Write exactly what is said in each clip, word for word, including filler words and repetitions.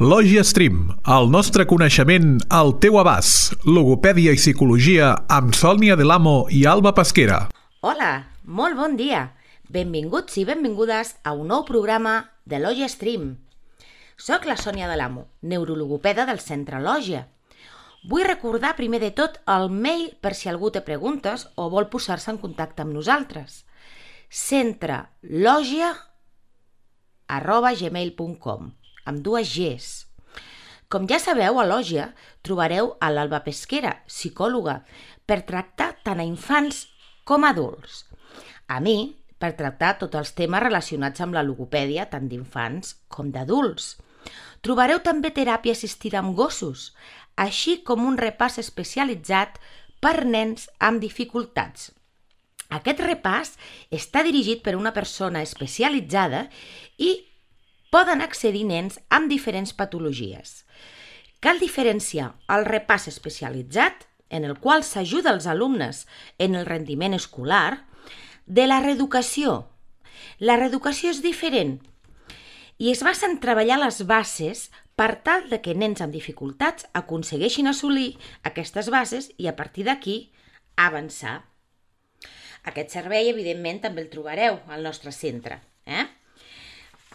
Lògia Stream, el nostre coneixement al teu abast. Logopèdia i psicologia amb Sònia Del Amo i Alba Pesquera. Hola, molt bon dia. Benvinguts i benvingudes a un nou programa de Lògia Stream. Soc la Sònia Del Amo, neurologopeda del Centre Lògia. Vull recordar primer de tot el mail per si algú té preguntes o vol posar-se en contacte amb nosaltres. centrelògia arroba gmail punt com, amb dues Gs. Com ja sabeu, a Lògia trobareu a l'Alba Pesquera, psicòloga, per tractar tant a infants com a adults. A mi, per tractar tots els temes relacionats amb la logopèdia, tant d'infants com d'adults. Trobareu també teràpia assistida amb gossos, així com un repàs especialitzat per nens amb dificultats. Aquest repàs està dirigit per una persona especialitzada i poden accedir nens amb diferents patologies. Cal diferenciar el repàs especialitzat, en el qual s'ajuda els alumnes en el rendiment escolar, de la reeducació. La reeducació és diferent i es basa en treballar les bases per tal de que nens amb dificultats aconsegueixin assolir aquestes bases i a partir d'aquí avançar. Aquest servei, evidentment, també el trobareu al nostre centre. Eh?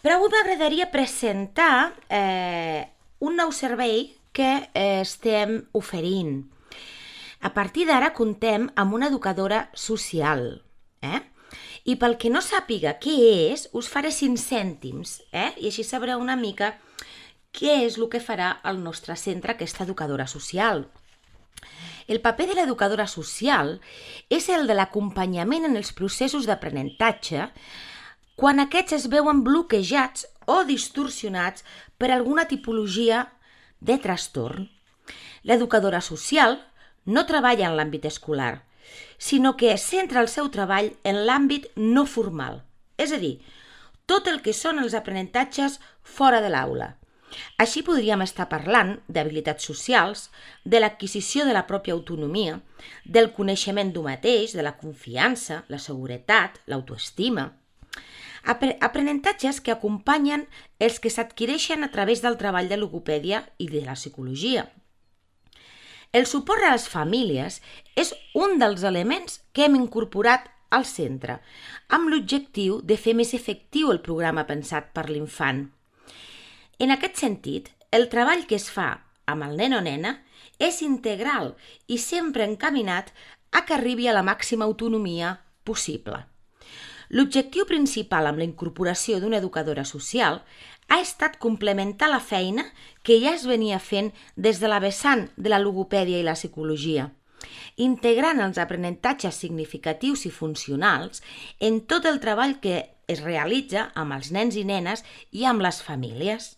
Però avui m'agradaria presentar eh, un nou servei que eh, estem oferint. A partir d'ara comptem amb una educadora social. Eh? I pel que no sàpiga què és, us faré cinc cèntims, eh? I així sabreu una mica què és el que farà el nostre centre, aquesta educadora social. El paper de l'educadora social és el de l'acompanyament en els processos d'aprenentatge quan aquests es veuen bloquejats o distorsionats per alguna tipologia de trastorn. L'educadora social no treballa en l'àmbit escolar, sinó que centra el seu treball en l'àmbit no formal, és a dir, tot el que són els aprenentatges fora de l'aula. Així podríem estar parlant d'habilitats socials, de l'adquisició de la pròpia autonomia, del coneixement d'un mateix, de la confiança, la seguretat, l'autoestima. Aprenentatges que acompanyen els que s'adquireixen a través del treball de logopèdia i de la psicologia. El suport a les famílies és un dels elements que hem incorporat al centre, amb l'objectiu de fer més efectiu el programa pensat per l'infant. En aquest sentit, el treball que es fa amb el nen o nena és integral i sempre encaminat a que arribi a la màxima autonomia possible. L'objectiu principal amb la incorporació d'una educadora social ha estat complementar la feina que ja es venia fent des de la vessant de la logopèdia i la psicologia, integrant els aprenentatges significatius i funcionals en tot el treball que es realitza amb els nens i nenes i amb les famílies.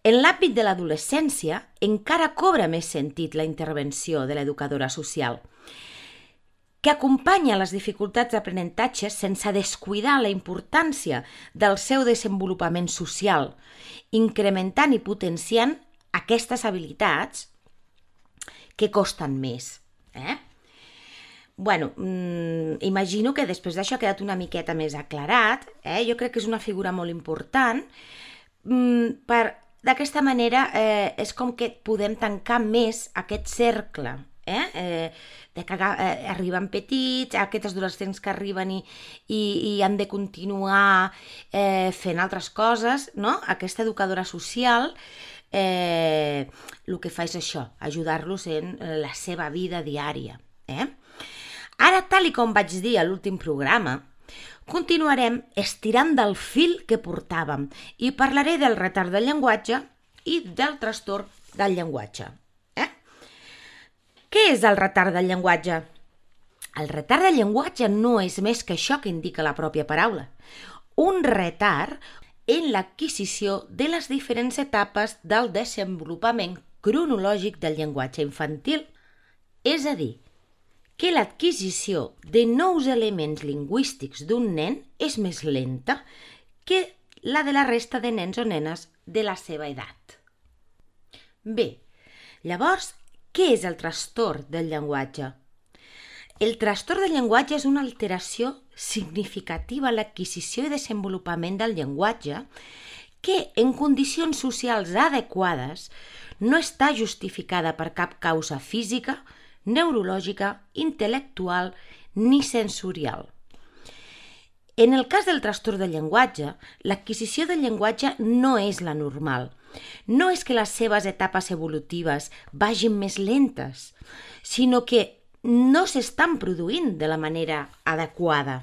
En l'àmbit de l'adolescència encara cobra més sentit la intervenció de l'educadora social, que acompanya les dificultats d'aprenentatge sense descuidar la importància del seu desenvolupament social, incrementant i potenciant aquestes habilitats que costen més. Eh? Bueno, mmm, imagino que després d'això ha quedat una miqueta més aclarat. Eh? Jo crec que és una figura molt important. Mm, per, d'aquesta manera eh, és com que podem tancar més aquest cercle. Eh? Eh, de que eh, arriben petits, aquests adolescents que arriben i, i, i han de continuar eh, fent altres coses, no? Aquesta educadora social eh, el que fa és això, ajudar-los en la seva vida diària. Eh? Ara, tal i com vaig dir a l'últim programa, continuarem estirant del fil que portàvem i parlaré del retard del llenguatge i del trastorn del llenguatge. Què és el retard del llenguatge? El retard del llenguatge no és més que això que indica la pròpia paraula. Un retard en l'adquisició de les diferents etapes del desenvolupament cronològic del llenguatge infantil. És a dir, que l'adquisició de nous elements lingüístics d'un nen és més lenta que la de la resta de nens o nenes de la seva edat. Bé, llavors, què és el trastorn del llenguatge? El trastorn del llenguatge és una alteració significativa en l'adquisició i desenvolupament del llenguatge que en condicions socials adequades no està justificada per cap causa física, neurològica, intel·lectual ni sensorial. En el cas del trastorn del llenguatge, l'adquisició del llenguatge no és la normal. No és que les seves etapes evolutives vagin més lentes, sinó que no s'estan produint de la manera adequada.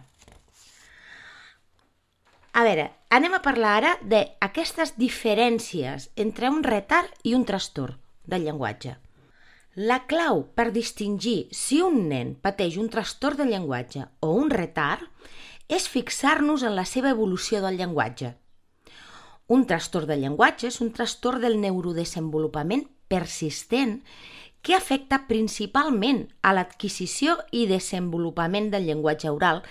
A veure, anem a parlar ara d'aquestes diferències entre un retard i un trastorn del llenguatge. La clau per distingir si un nen pateix un trastorn del llenguatge o un retard és fixar-nos en la seva evolució del llenguatge. Un trastorn del llenguatge és un trastorn del neurodesenvolupament persistent que afecta principalment a l'adquisició i desenvolupament del llenguatge oral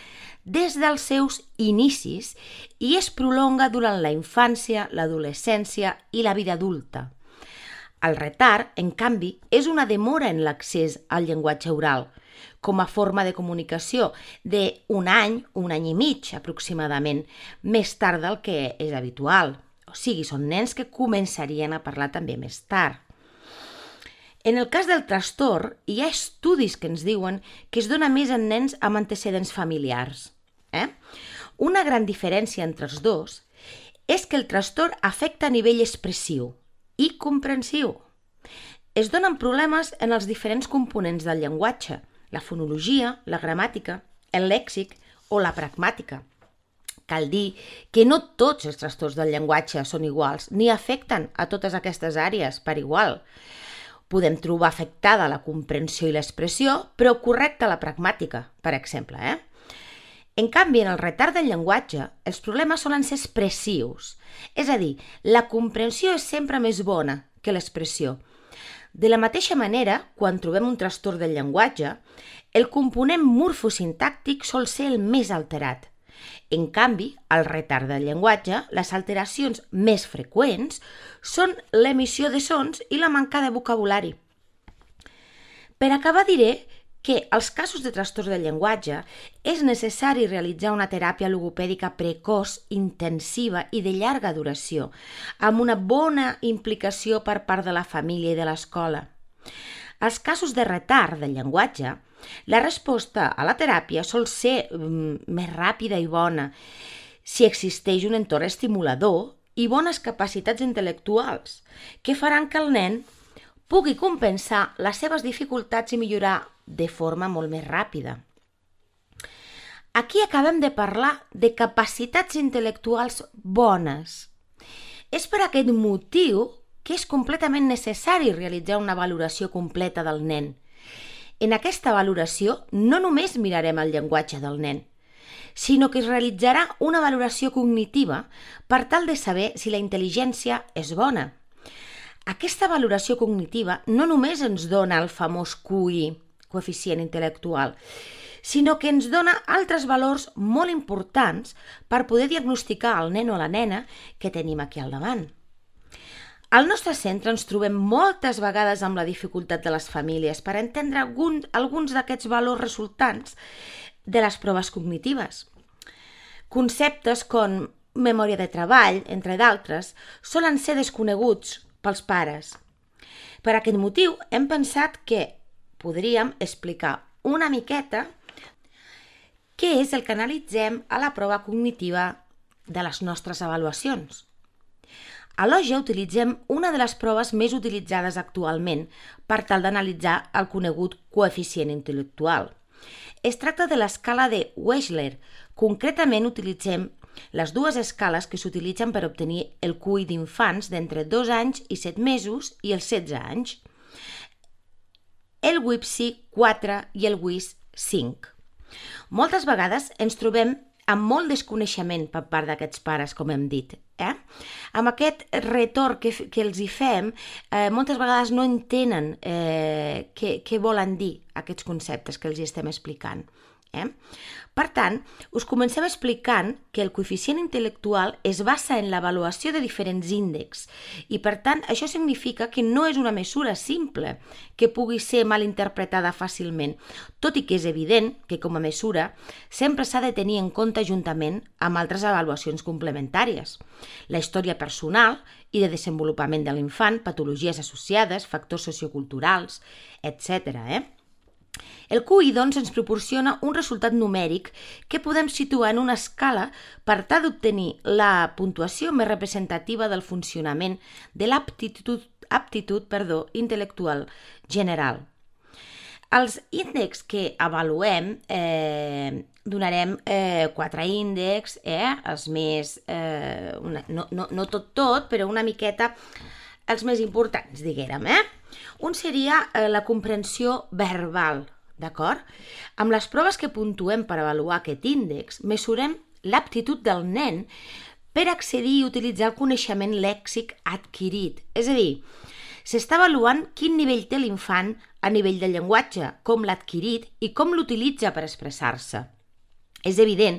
des dels seus inicis i es prolonga durant la infància, l'adolescència i la vida adulta. El retard, en canvi, és una demora en l'accés al llenguatge oral, com a forma de comunicació d'un any, un any i mig aproximadament, més tard del que és habitual. O sigui, són nens que començarien a parlar també més tard. En el cas del trastorn, hi ha estudis que ens diuen que es dona més en nens amb antecedents familiars. Eh? Una gran diferència entre els dos és que el trastorn afecta a nivell expressiu i comprensiu. Es donen problemes en els diferents components del llenguatge, la fonologia, la gramàtica, el lèxic o la pragmàtica. Cal dir que no tots els trastorns del llenguatge són iguals ni afecten a totes aquestes àrees per igual. Podem trobar afectada la comprensió i l'expressió, però correcta la pragmàtica, per exemple. Eh? En canvi, en el retard del llenguatge, els problemes solen ser expressius. És a dir, la comprensió és sempre més bona que l'expressió. De la mateixa manera, quan trobem un trastorn del llenguatge, el component morfosintàctic sol ser el més alterat. En canvi, al retard del llenguatge, les alteracions més freqüents són l'emissió de sons i la manca de vocabulari. Per acabar diré que als casos de trastorns del llenguatge és necessari realitzar una teràpia logopèdica precoç, intensiva i de llarga duració, amb una bona implicació per part de la família i de l'escola. Als casos de retard del llenguatge, la resposta a la teràpia sol ser mm, més ràpida i bona si existeix un entorn estimulador i bones capacitats intel·lectuals que faran que el nen pugui compensar les seves dificultats i millorar de forma molt més ràpida. Aquí acabem de parlar de capacitats intel·lectuals bones. És per aquest motiu que és completament necessari realitzar una valoració completa del nen. En aquesta valoració no només mirarem el llenguatge del nen, sinó que es realitzarà una valoració cognitiva per tal de saber si la intel·ligència és bona. Aquesta valoració cognitiva no només ens dona el famós Q I, coeficient intel·lectual, sinó que ens dona altres valors molt importants per poder diagnosticar el nen o la nena que tenim aquí al davant. Al nostre centre ens trobem moltes vegades amb la dificultat de les famílies per entendre algun, alguns d'aquests valors resultants de les proves cognitives. Conceptes com memòria de treball, entre d'altres, solen ser desconeguts pels pares. Per aquest motiu hem pensat que podríem explicar una miqueta què és el que analitzem a la prova cognitiva de les nostres avaluacions. A l'O G E utilitzem una de les proves més utilitzades actualment per tal d'analitzar el conegut coeficient intel·lectual. Es tracta de l'escala de Wechsler. Concretament utilitzem les dues escales que s'utilitzen per obtenir el Q I d'infants d'entre dos anys i set mesos i els setze anys. El W I P S I quatre i el W I S cinc. Moltes vegades ens trobem amb molt desconeixement per part d'aquests pares, com hem dit. Eh? Amb aquest retorn que, que els hi fem, eh, moltes vegades no entenen eh, què, què volen dir aquests conceptes que els hi estem explicant. Eh? Per tant, us comencem explicant que el coeficient intel·lectual es basa en l'avaluació de diferents índexs i, per tant, això significa que no és una mesura simple que pugui ser mal interpretada fàcilment, tot i que és evident que, com a mesura, sempre s'ha de tenir en compte juntament amb altres avaluacions complementàries. La història personal i de desenvolupament de l'infant, patologies associades, factors socioculturals, etcètera. Eh? El Q I, doncs, ens proporciona un resultat numèric que podem situar en una escala per tal d'obtenir la puntuació més representativa del funcionament de l'aptitud aptitud, perdó, intel·lectual general. Els índexs que avaluem, eh, donarem eh, quatre índexs, eh, els més, eh, una, no, no, no tot tot, però una miqueta els més importants, diguérem. Eh? Un seria eh, la comprensió verbal, d'acord? Amb les proves que puntuem per avaluar aquest índex, mesurem l'aptitud del nen per accedir i utilitzar el coneixement lèxic adquirit. És a dir, s'està avaluant quin nivell té l'infant a nivell de llenguatge, com l'ha adquirit i com l'utilitza per expressar-se. És evident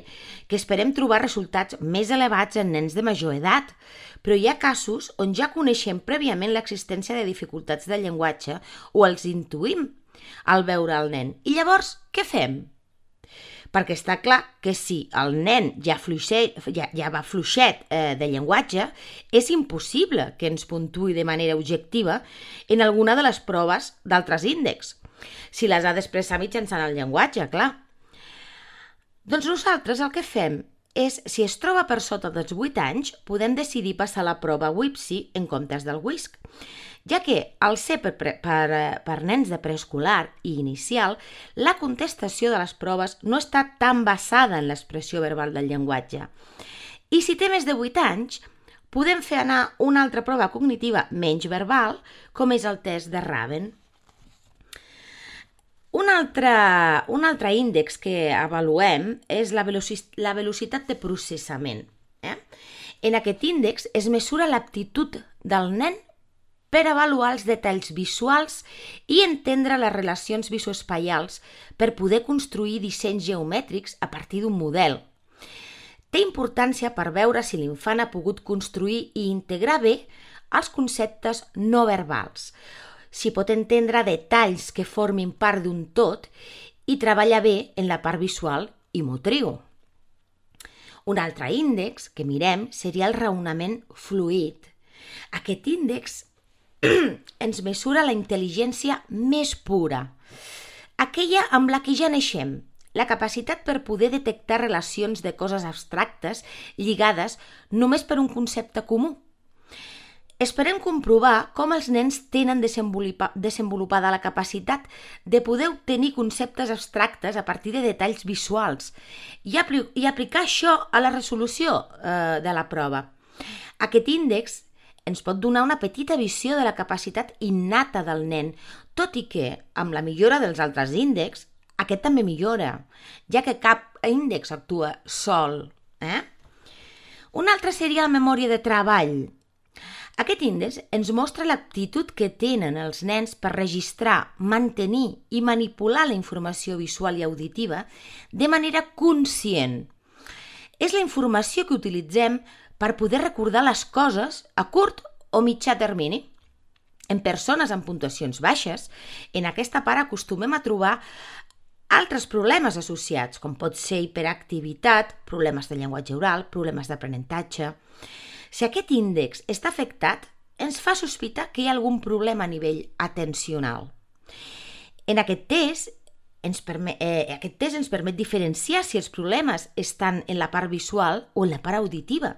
que esperem trobar resultats més elevats en nens de major edat, però hi ha casos on ja coneixem prèviament l'existència de dificultats de llenguatge o els intuïm al veure el nen. I llavors, què fem? Perquè està clar que si el nen ja, fluixet, ja, ja va fluixet eh, de llenguatge, és impossible que ens puntuï de manera objectiva en alguna de les proves d'altres índexs, si les ha d'expressar mitjançant el llenguatge, clar. Doncs nosaltres el que fem és, si es troba per sota dels vuit anys, podem decidir passar la prova W I P S I en comptes del W I S C, ja que al ser per, per, per nens de preescolar i inicial, la contestació de les proves no està tan basada en l'expressió verbal del llenguatge. I si té més de vuit anys, podem fer anar una altra prova cognitiva menys verbal, com és el test de Raven. Un altre, un altre índex que avaluem és la, veloci, la velocitat de processament. Eh? En aquest índex es mesura l'aptitud del nen per avaluar els detalls visuals i entendre les relacions visoespaials per poder construir dissenys geomètrics a partir d'un model. Té importància per veure si l'infant ha pogut construir i integrar bé els conceptes no verbals, si pot entendre detalls que formin part d'un tot i treballar bé en la part visual i motriu. Un altre índex que mirem seria el raonament fluid. Aquest índex ens mesura la intel·ligència més pura, aquella amb la que ja naixem, la capacitat per poder detectar relacions de coses abstractes lligades només per un concepte comú. Esperem comprovar com els nens tenen desenvolupada la capacitat de poder obtenir conceptes abstractes a partir de detalls visuals i, apl- i aplicar això a la resolució eh, de la prova. Aquest índex ens pot donar una petita visió de la capacitat innata del nen, tot i que, amb la millora dels altres índexs, aquest també millora, ja que cap índex actua sol. Eh? Un altre seria la memòria de treball. Aquest índex ens mostra l'aptitud que tenen els nens per registrar, mantenir i manipular la informació visual i auditiva de manera conscient. És la informació que utilitzem per poder recordar les coses a curt o mitjà termini. En persones amb puntuacions baixes, en aquesta part acostumem a trobar altres problemes associats, com pot ser hiperactivitat, problemes de llenguatge oral, problemes d'aprenentatge. Si aquest índex està afectat, ens fa sospitar que hi ha algun problema a nivell atencional. En aquest test, ens permet, eh, aquest test ens permet diferenciar si els problemes estan en la part visual o en la part auditiva,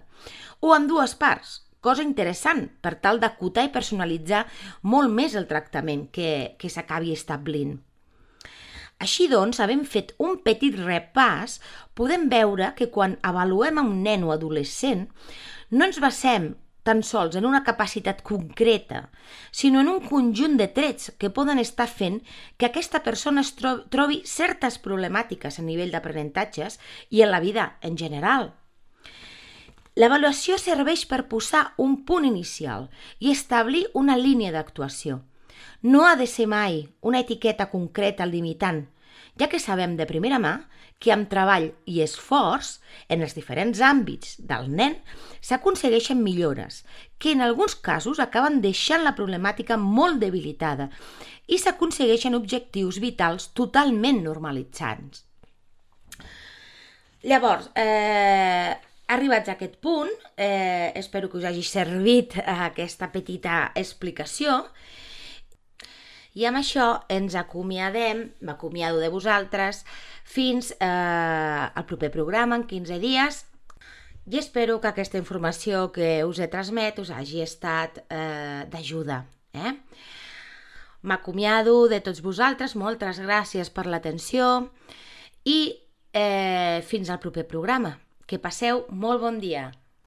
o en dues parts, cosa interessant per tal d'acotar i personalitzar molt més el tractament que, que s'acabi establint. Així doncs, havent fet un petit repàs, podem veure que quan avaluem a un nen o adolescent, no ens basem tan sols en una capacitat concreta, sinó en un conjunt de trets que poden estar fent que aquesta persona es trobi certes problemàtiques a nivell d'aprenentatges i en la vida en general. L'avaluació serveix per posar un punt inicial i establir una línia d'actuació. No ha de ser mai una etiqueta concreta limitant, ja que sabem de primera mà que amb treball i esforç en els diferents àmbits del nen s'aconsegueixen millores, que en alguns casos acaben deixant la problemàtica molt debilitada i s'aconsegueixen objectius vitals totalment normalitzants. Llavors, eh, arribats a aquest punt, eh, espero que us hagi servit aquesta petita explicació i amb això ens acomiadem, m'acomiado de vosaltres, fins eh, al proper programa en quinze dies i espero que aquesta informació que us he transmet us hagi estat eh, d'ajuda. Eh? M'acomiado de tots vosaltres, moltes gràcies per l'atenció i eh, fins al proper programa. Que passeu molt bon dia.